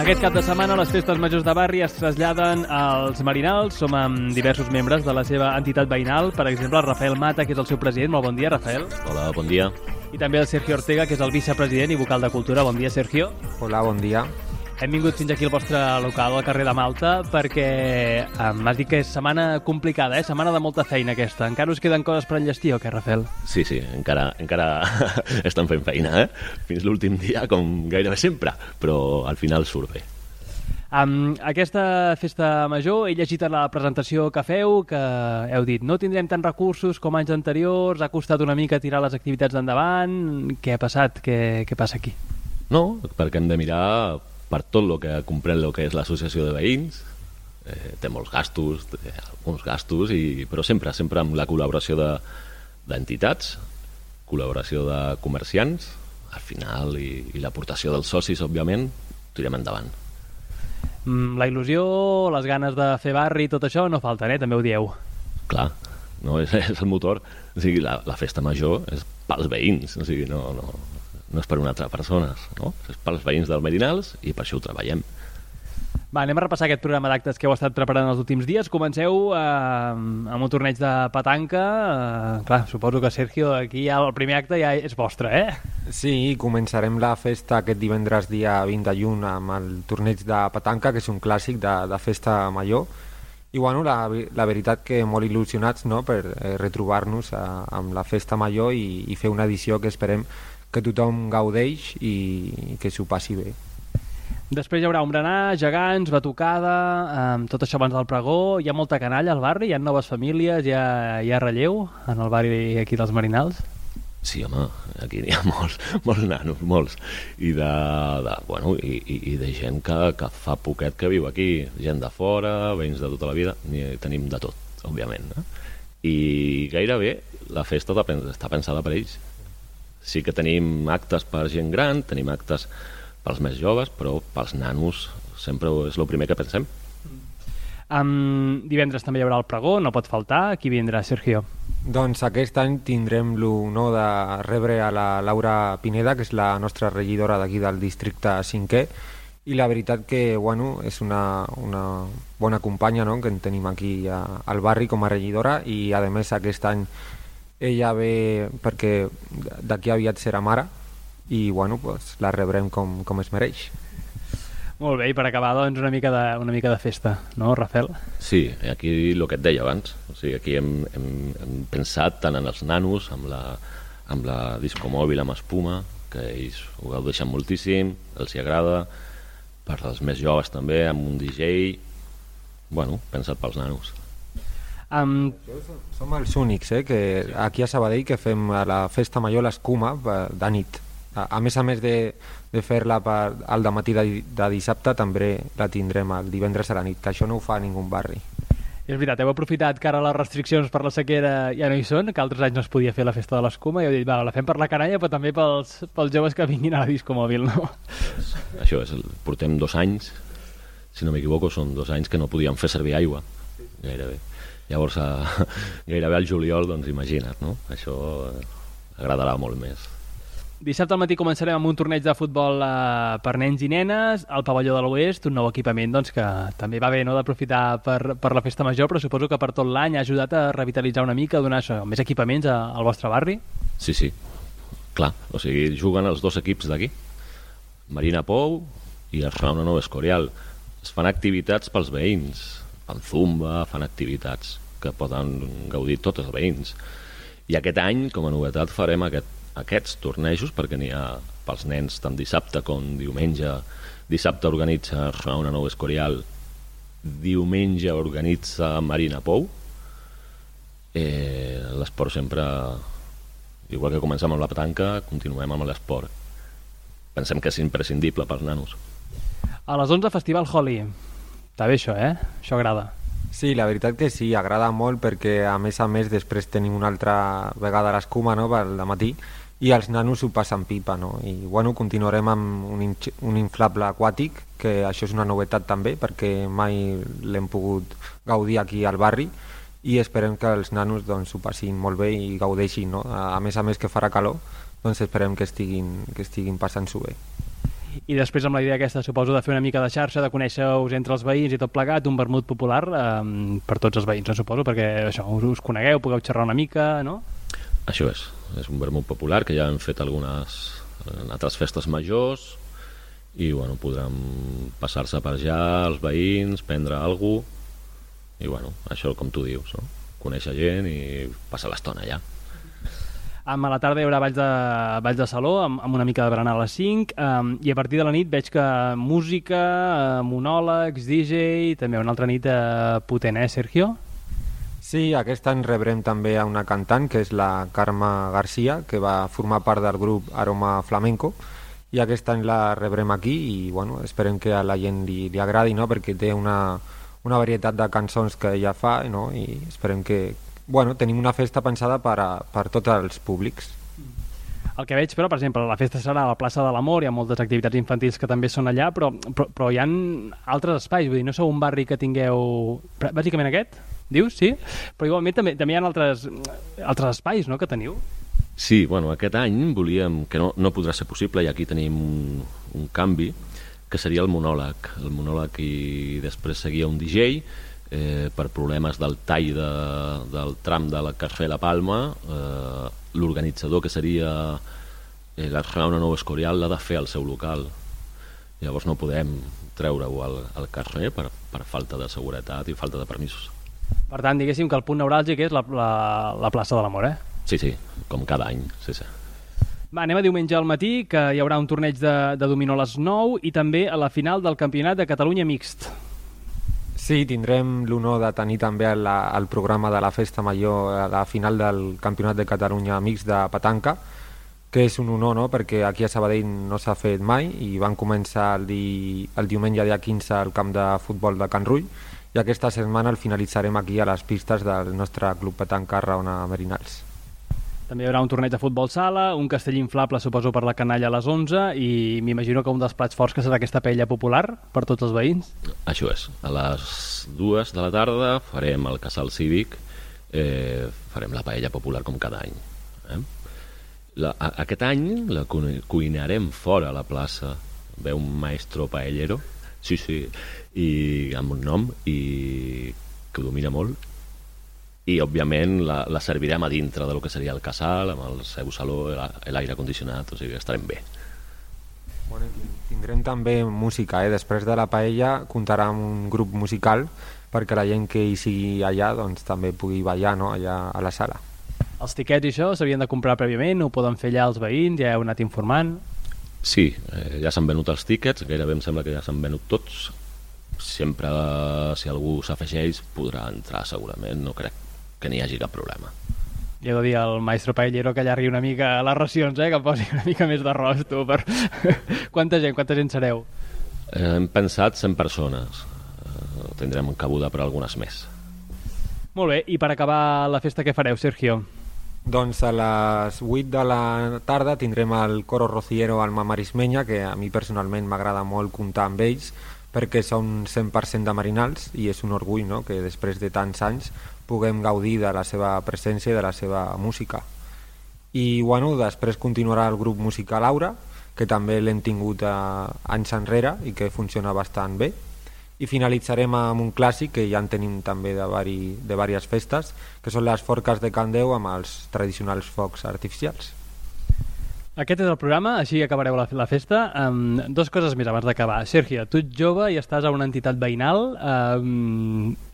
Aquest cap de setmana les festes majors de barri es traslladen als Marinals. Som amb diversos membres de la seva entitat veïnal. Per exemple, el Rafael Mata, que és el seu president. Molt bon dia, Rafael. Hola, bon dia. I també el Sergio Ortega, que és el vicepresident i vocal de Cultura. Bon dia, Sergio. Hola, bon dia. Hem vingut fins aquí al vostre local, al carrer de Malta, perquè m'has dit que és setmana complicada, setmana de molta feina aquesta. Encara us queden coses per enllestir o què, Rafael? Sí, encara estan fent feina, Fins l'últim dia, com gairebé sempre, però al final surt bé. Aquesta festa major, he llegit a la presentació que feu, que heu dit no tindrem tants recursos com anys anteriors, ha costat una mica tirar les activitats endavant. Què ha passat? Què passa aquí? No, perquè hem de mirar per tot el que comprèn el que és l'associació de veïns. Té molts gastos, alguns gastos, però sempre amb la col·laboració d'entitats, col·laboració de comerciants, al final, i l'aportació dels socis, òbviament, tirem endavant. La il·lusió, les ganes de fer barri, tot això no falten, també ho dieu. Clar, no, és el motor. O sigui, la festa major és pels veïns, o sigui, no és per una altra persona, no? És pels veïns dels Marinals i per això ho treballem. Va, anem a repassar aquest programa d'actes que heu estat preparant els últims dies. Comenceu amb un torneig de petanca. Clar, suposo que, Sergio, aquí ja el primer acte ja és vostre, Sí, començarem la festa aquest divendres dia 20 de juny amb el torneig de petanca, que és un clàssic de festa major. I bueno, la veritat que molt il·lusionats, no?, per retrobar-nos amb la festa major i fer una edició que esperem que tothom gaudeix i que s'ho passi bé. Després hi haurà un berenar, gegants, batucada, tot això abans del pregó. Hi ha molta canalla al barri, hi ha noves famílies, hi ha relleu en el barri aquí dels Marinals? Sí, home, aquí hi ha molts nanos, molts. I de gent que fa poquet que viu aquí, gent de fora, veïns de tota la vida, tenim de tot, òbviament. I gairebé la festa està pensada per ells. Sí que tenim actes per gent gran, tenim actes pels més joves, però pels nanos sempre és el primer que pensem. Divendres també hi haurà el pregó, no pot faltar. Qui vindrà, Sergio? Doncs aquest any tindrem l'honor de rebre a la Laura Pineda, que és la nostra regidora d'aquí del districte 5è, i la veritat que és una bona companya, no?, que en tenim aquí al barri com a regidora, i a més aquest any ella ve perquè d'aquí aviat serà mare i la rebrem com es mereix. Molt bé, i per acabar doncs una mica de festa, no, Rafael? Sí, aquí el que et deia abans, o sigui, aquí hem pensat tant en els nanos, amb la discomòbil amb espuma, que ells ho gaudeixen moltíssim, els hi agrada, per als més joves també, amb un DJ, pensat pels nanos. Som els únics que aquí a Sabadell que fem a la festa major l'escuma de nit. A més de fer-la al dematí de dissabte, també la tindrem el divendres a la nit, que això no ho fa a ningú barri. És veritat, heu aprofitat que ara les restriccions per la sequera ja no hi són, que altres anys no es podia fer la festa de l'escuma, i heu dit, la fem per la canalla, però també pels joves que vinguin a la discomòbil, no? Això és, portem 2 anys, si no m'equivoco, són 2 anys que no podíem fer servir aigua, gairebé. Llavors, gairebé al juliol, doncs imagina't, no? Això agradarà molt més. Dissabte al matí començarem amb un torneig de futbol per nens i nenes al pavelló de l'Oest, un nou equipament que també va bé, no?, d'aprofitar per la festa major, però suposo que per tot l'any ha ajudat a revitalitzar una mica, a donar més equipaments al vostre barri? Sí, clar, o sigui, juguen els 2 equips d'aquí, Marina Pou i el Rauna Nou Escorial. Es fan activitats pels veïns, fan zumba, fan activitats que poden gaudir tots els veïns. I aquest any, com a novetat, farem aquests tornejos, perquè n'hi ha pels nens tant dissabte com diumenge. Dissabte organitza Rauna Nou Escorial, diumenge organitza Marina Pou. L'esport sempre, igual que comencem amb la petanca, continuem amb l'esport. Pensem que és imprescindible pels nanos. A les 11, Festival Holi. Està bé això, Això agrada. Sí, la veritat que sí, agrada molt perquè a més després tenim una altra vegada l'escuma, no?, pel dematí, i els nanos ho passen pipa, no? I continuarem amb un inflable aquàtic, que això és una novetat també, perquè mai l'hem pogut gaudir aquí al barri, i esperem que els nanos ho passin molt bé i gaudeixin, no? A més que farà calor, doncs esperem que estiguin passant-s'ho bé. I després amb la idea aquesta, suposo, de fer una mica de xarxa, de conèixer-us entre els veïns i tot plegat, un vermut popular per tots els veïns, no suposo, perquè això, us conegueu, pugueu xerrar una mica, no? Això és un vermut popular que ja hem fet algunes en altres festes majors i bueno, podran passar-se per allà els veïns, prendre alguna cosa i bueno, això com tu dius, no? Conèixer gent i passar l'estona allà. A la tarda hi haurà balls de saló amb una mica de berenar a les 5 i a partir de la nit veig que música, monòlegs, DJ, també una altra nit potent, Sergio? Sí, aquest any rebrem també a una cantant que és la Carme Garcia, que va formar part del grup Aroma Flamenco, i aquest any la rebrem aquí i bueno, esperem que a la gent li agradi, no? Perquè té una varietat de cançons que ella fa, no? I esperem que bueno, tenim una festa pensada per tots els públics. El que veig, però, per exemple, la festa serà a la plaça de l'Amor, hi ha moltes activitats infantils que també són allà, però hi ha altres espais, vull dir, no sou un barri que tingueu... Bàsicament aquest, dius, sí? Però igualment també hi ha altres espais, no?, que teniu. Sí, bueno, aquest any volíem, que no podrà ser possible, i aquí tenim un canvi, que seria el monòleg i després seguia un DJ, per problemes del tall del tram de la Carrer La Palma, l'organitzador, que seria l'Arnau Nou Escorial, l'ha de fer al seu local. Llavors no podem treure-ho al carrer per falta de seguretat i falta de permisos. Per tant, diguéssim que el punt neuràlgic és la plaça de l'Amor, Sí, com cada any, sí. Va, anem a diumenge al matí, que hi haurà un torneig de dominó a les 9 i també a la final del Campionat de Catalunya Mixt. Sí, tindrem l'honor de tenir també el programa de la Festa Major a la final del Campionat de Catalunya Mixt de petanca, que és un honor, no?, perquè aquí a Sabadell no s'ha fet mai i van començar el diumenge dia 15 al camp de futbol de Can Rull i aquesta setmana el finalitzarem aquí a les pistes del nostre club petanca Raona Merinals. També hi haurà un torneig de futbol sala, un castell inflable, suposo, per la canalla a les 11 i m'imagino que un dels plats forts que serà aquesta paella popular per tots els veïns. Això és. A les 2 de la tarda farem el casal cívic, farem la paella popular com cada any. Aquest any la cuinarem fora a la plaça. Ve un maestro paellero, sí, i amb un nom i que ho domina molt. I, òbviament, la servirem a dintre del que seria el casal, amb el seu saló, l'aire condicionat, o sigui, estarem bé. Bueno, tindrem també música, després de la paella comptarà amb un grup musical perquè la gent que hi sigui allà doncs, també pugui ballar, no?, allà a la sala. Els tiquets i això s'havien de comprar prèviament, ho poden fer allà els veïns, ja heu anat informant? Sí, ja s'han venut els tiquets, gairebé em sembla que ja s'han venut tots. Sempre, si algú s'afegeix, podrà entrar segurament, no crec que n'hi hagi cap problema. I he de dir al maestro paellero que allargui una mica les racions, que posi una mica més d'arròs, tu, per... Quanta gent sereu? Hem pensat 100 persones. Tindrem cabuda per algunes més. Molt bé, i per acabar la festa què fareu, Sergio? Doncs a les 8 de la tarda tindrem el coro rociero Alma Marismenya, que a mi personalment m'agrada molt comptar amb ells, perquè són 100% de Merinals i és un orgull, no?, que després de tants anys puguem gaudir de la seva presència i de la seva música. I bueno, després continuarà el grup musical Aura, que també l'hem tingut anys enrere i que funciona bastant bé, i finalitzarem amb un clàssic que ja en tenim també de diverses festes, que són les forques de Can Déu amb els tradicionals focs artificials. Aquest és el programa, així acabareu la festa. Dos coses més abans d'acabar. Sergio, tu ets jove i estàs a una entitat veïnal.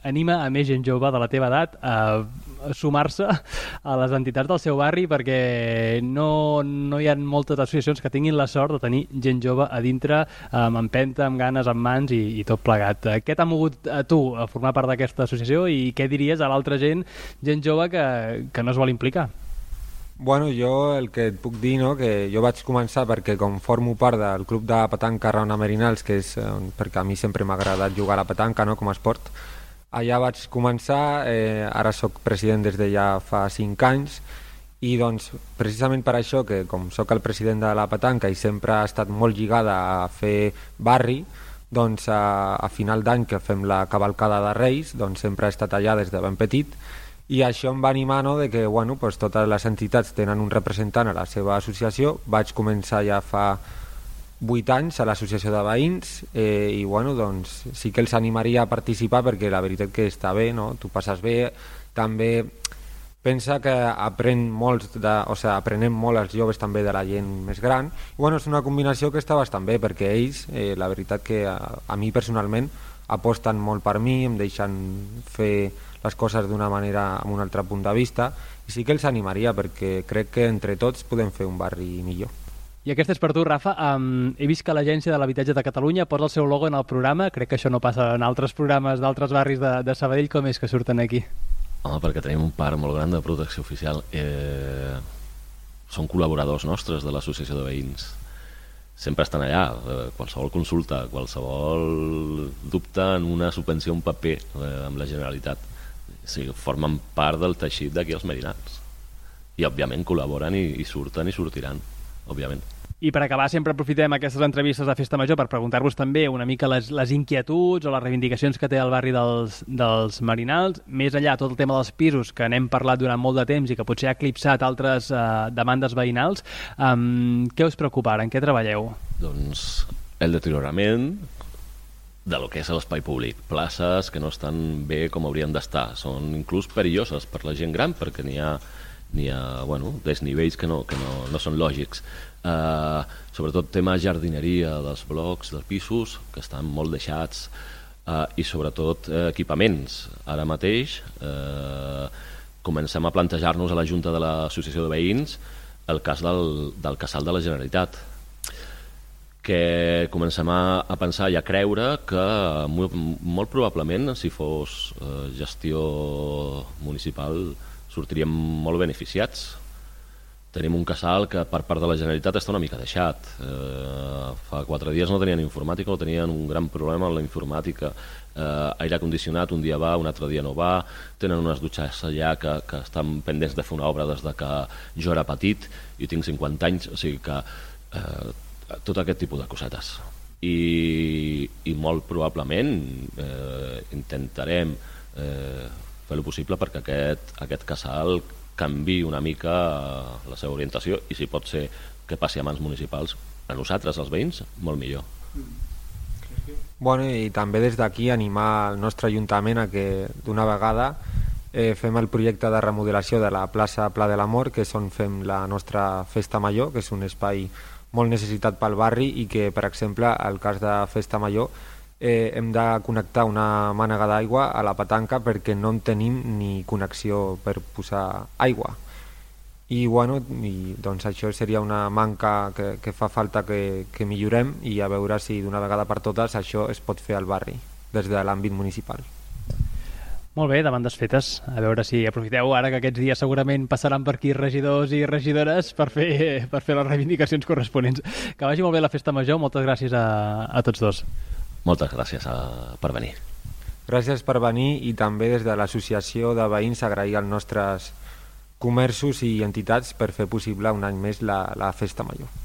Anima a més gent jove de la teva edat a sumar-se a les entitats del seu barri perquè no hi ha moltes associacions que tinguin la sort de tenir gent jove a dintre, amb empenta, amb ganes, amb mans i tot plegat. Què t'ha mogut a tu a formar part d'aquesta associació i què diries a l'altra gent jove que no es vol implicar? Bueno, jo el que et puc dir, no?, que jo vaig començar perquè com formo part del club de petanca Raona Merinals, que és perquè a mi sempre m'ha agradat jugar a la petanca, no?, com a esport, allà vaig començar, ara sóc president des de ja fa 5 anys i doncs precisament per això que com sóc el president de la petanca i sempre ha estat molt lligada a fer barri, doncs a final d'any que fem la cavalcada de Reis, doncs sempre he estat allà des de ben petit i això em va animar, no?, de que bueno, pues, totes les entitats tenen un representant a la seva associació. Vaig començar ja fa 8 anys a l'associació de veïns, i bueno, doncs sí que els animaria a participar, perquè la veritat que està bé, no? Tu passes bé, també pensa que aprenem molt els joves també de la gent més gran, i bueno, és una combinació que està bastant bé, perquè ells, la veritat que a mi personalment aposten molt per mi, em deixen fer les coses d'una manera, amb un altre punt de vista, i sí que els animaria, perquè crec que entre tots podem fer un barri millor. I aquesta és per tu, Rafa. He vist que l'Agència de l'Habitatge de Catalunya posa el seu logo en el programa. Crec que això no passa en altres programes d'altres barris de Sabadell. Com és que surten aquí? Home, perquè tenim un parc molt gran de protecció oficial. Són col·laboradors nostres de l'associació de veïns. Sempre estan allà. Qualsevol consulta, qualsevol dubte en una subvenció, un paper amb la Generalitat. O sigui, formen part del teixit d'aquí els Merinals. I, òbviament, col·laboren i surten i sortiran, òbviament. I per acabar, sempre aprofitem aquestes entrevistes de Festa Major per preguntar-vos també una mica les inquietuds o les reivindicacions que té el barri dels Merinals, més enllà tot el tema dels pisos, que n'hem parlat durant molt de temps i que potser ha eclipsat altres demandes veïnals. Què us preocupa ara? En què treballeu? Doncs el deteriorament de lo que és l'espai públic. Places que no estan bé com haurien d'estar. Són inclús perilloses per la gent gran, perquè n'hi ha desnivells que no són lògics. Sobretot tema jardineria dels blocs, dels pisos, que estan molt deixats, i sobretot equipaments. Ara mateix comencem a plantejar-nos a la Junta de l'Associació de Veïns el cas del casal de la Generalitat, que comencem a pensar i a creure que molt probablement, si fos gestió municipal, sortiríem molt beneficiats. Tenim un casal que per part de la Generalitat està una mica deixat. Fa 4 dies no tenien informàtica, o tenien un gran problema amb la informàtica. Aire condicionat, un dia va, un altre dia no va. Tenen unes dutxes allà que estan pendents de fer una obra des que jo era petit i tinc 50 anys, o sigui que tot aquest tipus de cosetes. I molt probablement intentarem fer el possible perquè aquest casal canvi una mica la seva orientació, i si pot ser que passi a mans municipals, a nosaltres, els veïns, molt millor. Bueno, i també des d'aquí animar el nostre Ajuntament a que d'una vegada fem el projecte de remodelació de la plaça Pla de l'Amor, que és on fem la nostra Festa Major, que és un espai molt necessitat pel barri, i que, per exemple, al cas de Festa Major, hem de connectar una mànega d'aigua a la petanca perquè no en tenim ni connexió per posar aigua. I bueno, doncs això seria una manca que fa falta que millorem, i a veure si d'una vegada per totes això es pot fer al barri des de l'àmbit municipal. Molt bé, demandes fetes. A veure si aprofiteu ara que aquests dies segurament passaran per aquí regidors i regidores per fer les reivindicacions corresponents. Que vagi molt bé la Festa Major. Moltes gràcies a tots dos. Moltes gràcies per venir. Gràcies per venir, i també des de l'associació de veïns agrair als nostres comerços i entitats per fer possible un any més la Festa Major.